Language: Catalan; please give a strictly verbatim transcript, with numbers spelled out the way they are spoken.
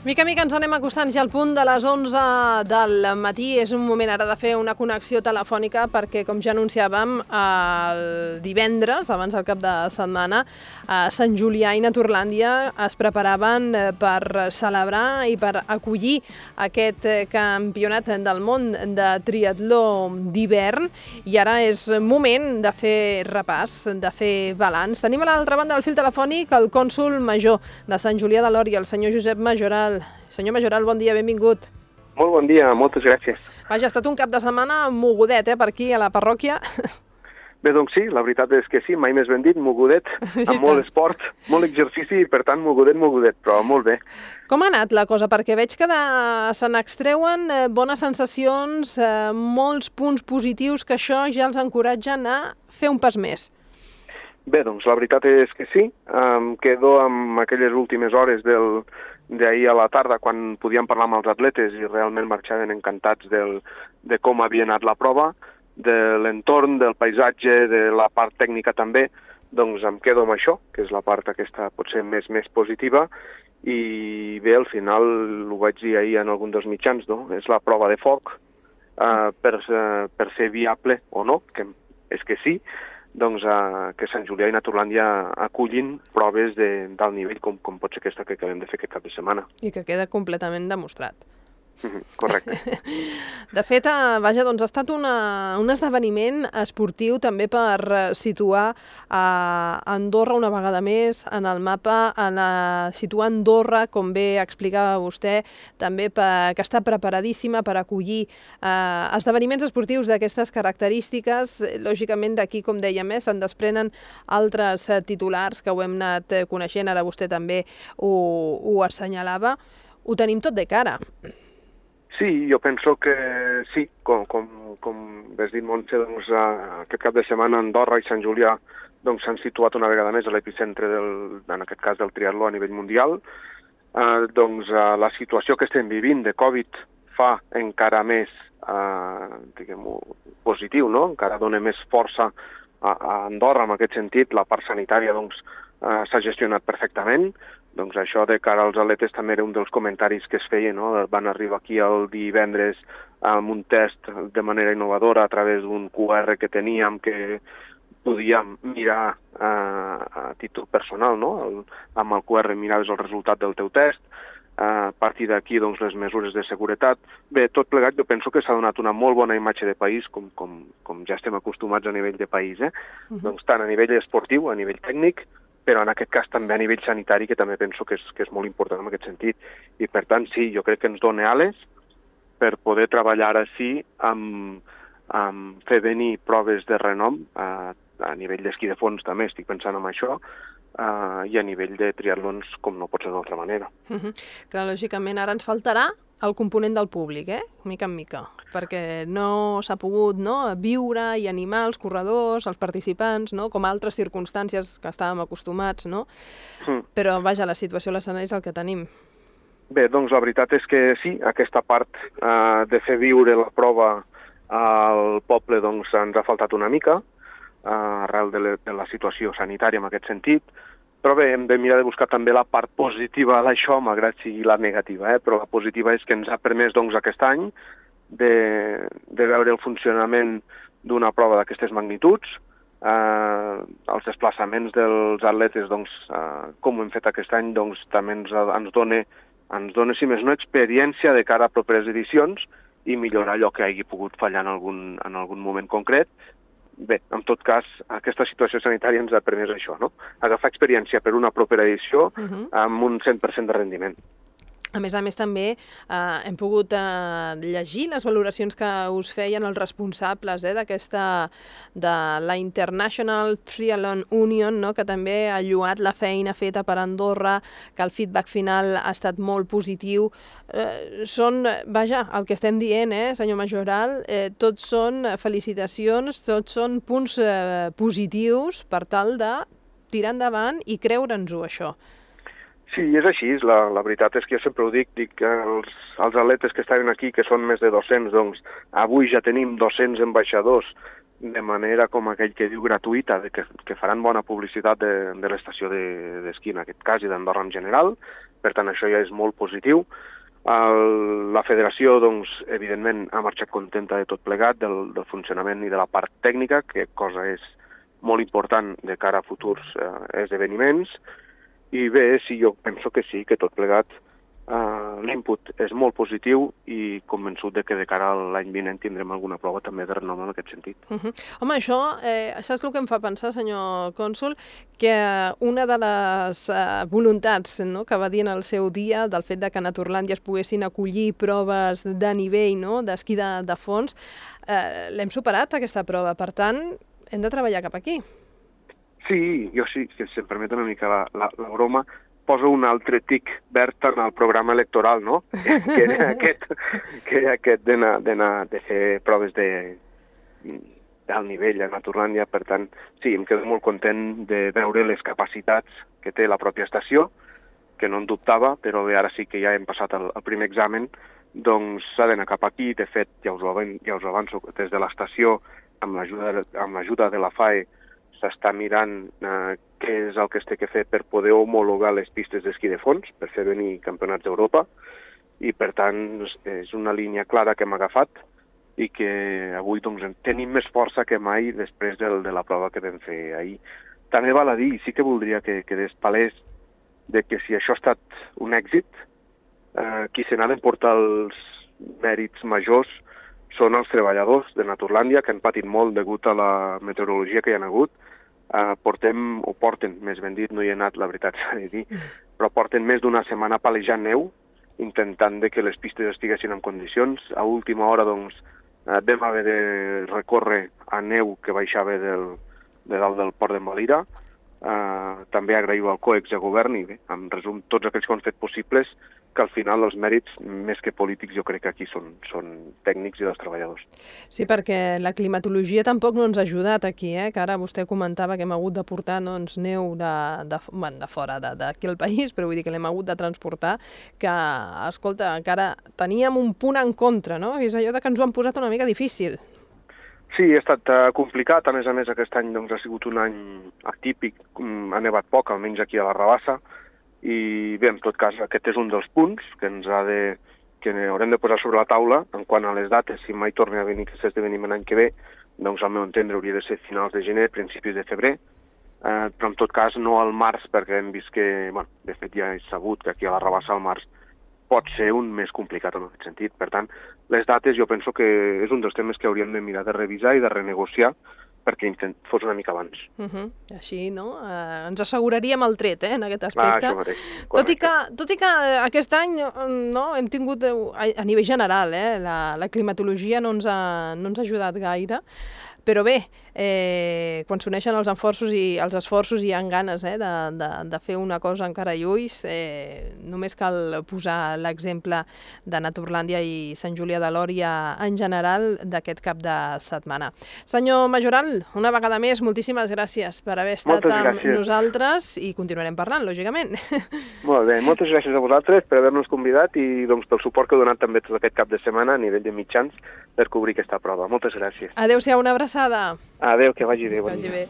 Mica a mica ens anem acostant ja al punt de les onze del matí. És un moment ara de fer una connexió telefònica perquè, com ja anunciàvem, el divendres, abans del cap de setmana, a Sant Julià i Naturlàndia es preparaven per celebrar i per acollir aquest campionat del món de triatló d'hivern. I ara és moment de fer repàs, de fer balanç. Tenim a l'altra banda del fil telefònic el cònsol major de Sant Julià de Lòria, el senyor Josep Majoral. Senyor Majoral, bon dia, benvingut. Molt bon dia, moltes gràcies. Vaja, ha estat un cap de setmana mogudet, eh, per aquí, a la parròquia. Bé, doncs sí, la veritat és que sí, mai més ben dit, mogudet, amb molt esport, molt exercici i, per tant, mogudet, mogudet, però molt bé. Com ha anat la cosa? Perquè veig que de... se n'extreuen eh, bones sensacions, eh, molts punts positius, que això ja els encoratgen a fer un pas més. Bé, doncs la veritat és que sí, em quedo amb aquelles últimes hores del... d'ahir a la tarda, quan podíem parlar amb els atletes i realment marxaven encantats del, de com havia anat la prova, de l'entorn, del paisatge, de la part tècnica també, doncs em quedo amb això, que és la part aquesta potser més més positiva, i bé, al final, ho vaig dir ahir en algun dels mitjans, no? És la prova de foc, eh, per, per ser viable o no, que és que sí, doncs eh, que Sant Julià i Naturlàndia acullin proves de, d'alt nivell, com, com pot ser aquesta que acabem de fer aquest cap de setmana. I que queda completament demostrat. Correcte. De fet, vaja, doncs ha estat una, un esdeveniment esportiu també per situar a Andorra una vegada més en el mapa, en a, situar Andorra, com bé explicava vostè, també per, que està preparadíssima per acollir eh, esdeveniments esportius d'aquestes característiques. Lògicament, d'aquí, com dèiem, eh, se'n desprenen altres eh, titulars que ho hem anat coneixent, ara vostè també ho, ho assenyalava. Ho tenim tot de cara. Sí, jo penso que sí, com, com, com has dit, Montse, doncs, aquest cap de setmana Andorra i Sant Julià doncs, s'han situat una vegada més a l'epicentre, del, en aquest cas del triatló a nivell mundial. Eh, doncs eh, la situació que estem vivint de Covid fa encara més eh, diguem-ho, positiu, no? Encara dona més força a, a Andorra en aquest sentit. La part sanitària doncs, eh, s'ha gestionat perfectament. Doncs això de cara als atletes també era un dels comentaris que es feia, no? Van arribar aquí el divendres amb un test de manera innovadora a través d'un cu erre que teníem que podíem mirar eh, a títol personal, no? El, amb el cu erre miraves el resultat del teu test, eh, a partir d'aquí doncs, les mesures de seguretat. Bé, tot plegat jo penso que s'ha donat una molt bona imatge de país, com, com, com ja estem acostumats a nivell de país, eh? Uh-huh. Doncs tant a nivell esportiu, a nivell tècnic, però en aquest cas també a nivell sanitari, que també penso que és, que és molt important en aquest sentit. I per tant, sí, jo crec que ens dona ales per poder treballar així amb, amb fer venir proves de renom, a, a nivell d'esquí de fons també estic pensant en això, uh, i a nivell de triatlons com no pot ser d'altra manera. Uh-huh. Clar, lògicament ara ens faltarà el component del públic, eh? Mica en mica, perquè no s'ha pogut, no, viure i animar els corredors, els participants, no, com altres circumstàncies que estàvem acostumats, no? Mm. Però, vaja, la situació a l'escenari és el que tenim. Bé, doncs la veritat és que sí, aquesta part eh, de fer viure la prova al poble doncs ens ha faltat una mica, eh, arrel de, le, de la situació sanitària en aquest sentit. Però bé, hem de mirar de buscar també la part positiva d'això, malgrat sigui la negativa, eh? Però la positiva és que ens ha permès doncs, aquest any de, de veure el funcionament d'una prova d'aquestes magnituds, eh, els desplaçaments dels atletes, doncs, eh, com ho hem fet aquest any, doncs, també ens, ens, dona, ens dona, si més no, experiència de cara a properes edicions i millorar allò que hagi pogut fallar en algun, en algun moment concret. Bé, en tot cas, aquesta situació sanitària ens ha permès això, no? Agafar experiència per una propera edició uh-huh. amb un cent per cent de rendiment. A més a més, també eh, hem pogut eh, llegir les valoracions que us feien els responsables eh, d'aquesta, de la International Triathlon Union, no?, que també ha lloat la feina feta per Andorra, que el feedback final ha estat molt positiu. Eh, són, vaja, el que estem dient, eh, senyor Majoral, eh, tots són felicitacions, tots són punts eh, positius per tal de tirar endavant i creure'ns-ho, això. Sí, és així. La, la veritat és que jo sempre ho dic, dic que els, els atletes que estaven aquí, que són més de dos-cents, doncs avui ja tenim dos-cents ambaixadors de manera, com aquell que diu, gratuïta, de que, que faran bona publicitat de, de l'estació d'esquí, de, en aquest cas, i d'Andorra en general. Per tant, això ja és molt positiu. El, la federació, doncs, evidentment, ha marxat contenta de tot plegat, del, del funcionament i de la part tècnica, que cosa és molt important de cara a futurs eh, esdeveniments. I bé, sí, jo penso que sí, que tot plegat uh, l'input és molt positiu i convençut de que de cara a l'any vinent tindrem alguna prova també de renom en aquest sentit. Uh -huh. Home, això, eh, saps el que em fa pensar, senyor cònsol? Que una de les eh, voluntats, no?, que va dir en el seu dia del fet de que a Naturlàndia es poguessin acollir proves de nivell, no?, d'esquí de, de fons, eh, l'hem superat, aquesta prova. Per tant, hem de treballar cap aquí. Sí, jo sí, que si em permet una mica la, la, la broma, poso un altre tic verd en el programa electoral, no? que era aquest, que era aquest d'anar de fer proves de d'alt nivell a Naturlàndia. Per tant, sí, em quedo molt content de veure les capacitats que té la pròpia estació, que no en dubtava, però bé, ara sí que ja hem passat el, el primer examen, doncs s'ha d'anar cap aquí. De fet, ja us ho, ja us ho avanço, des de l'estació, amb l'ajuda amb l'ajuda de la F A E, s'està mirant eh, què és el que es té que fer per poder homologar les pistes d'esquí de fons, per fer venir campionats d'Europa, i per tant és una línia clara que hem agafat i que avui doncs, tenim més força que mai després del, de la prova que vam fer ahir. També val a dir, sí que voldria que quedés palès de que si això ha estat un èxit, eh, qui se n'ha d'emportar els mèrits majors són els treballadors de Naturlàndia, que han patit molt degut a la meteorologia que hi ha hagut. Uh, portem, o porten, més ben dit, no hi he anat, la veritat s'ha de dir, però porten més d'una setmana palejant neu, intentant de que les pistes estiguessin en condicions. A última hora, doncs, uh, vam haver de recórrer a neu que baixava del, de dalt del port d'Envalira. Uh, també agraïu al COEX de govern i bé, en resum, tots aquells que han fet possibles, que al final els mèrits, més que polítics, jo crec que aquí són, són tècnics i dels treballadors. Sí, perquè la climatologia tampoc no ens ha ajudat aquí, eh? Que ara vostè comentava que hem hagut de portar doncs, neu de, de, bueno, de fora d'aquí al país, però vull dir que l'hem hagut de transportar, que, escolta, encara teníem un punt en contra, no? És allò de que ens ho han posat una mica difícil. Sí, ha estat uh, complicat. A més a més, aquest any doncs, ha sigut un any atípic, um, ha nevat poc, almenys aquí a la Rabassa, i bé, en tot cas, aquest és un dels punts que ens ha de, que haurem de posar sobre la taula en quant a les dates. Si mai torna a venir aquest esdeveniment l'any que ve, doncs al meu entendre hauria de ser finals de gener, principis de febrer, eh, però en tot cas no al març, perquè hem vist que, bueno, de fet ja és sabut que aquí a la Rabassa al març pot ser un més complicat en aquest sentit. Per tant, les dates jo penso que és un dels temes que hauríem de mirar de revisar i de renegociar perquè intent fos una mica abans. Uh -huh. Així, no? Eh, ens asseguraríem el tret, eh, en aquest aspecte. Ah, això mateix. Tot i, que, tot i que aquest any no, hem tingut, a nivell general, eh, la, la climatologia no ens, ha, no ens ha ajudat gaire, però bé, eh, quan s'uneixen els esforços i els esforços i hi ha ganes eh, de, de, de fer una cosa encara i ulls, eh, només cal posar l'exemple de Naturlàndia i Sant Julià de Lòria en general d'aquest cap de setmana. Senyor Majoral, una vegada més, moltíssimes gràcies per haver estat moltes amb gràcies. nosaltres i continuarem parlant, lògicament. Molt bé, moltes gràcies a vosaltres per haver-nos convidat i doncs, pel suport que heu donat també tot aquest cap de setmana a nivell de mitjans per cobrir aquesta prova. Moltes gràcies. Adéu-siau, una abraçada. Adéu, que vagi bé. Que vagi bé.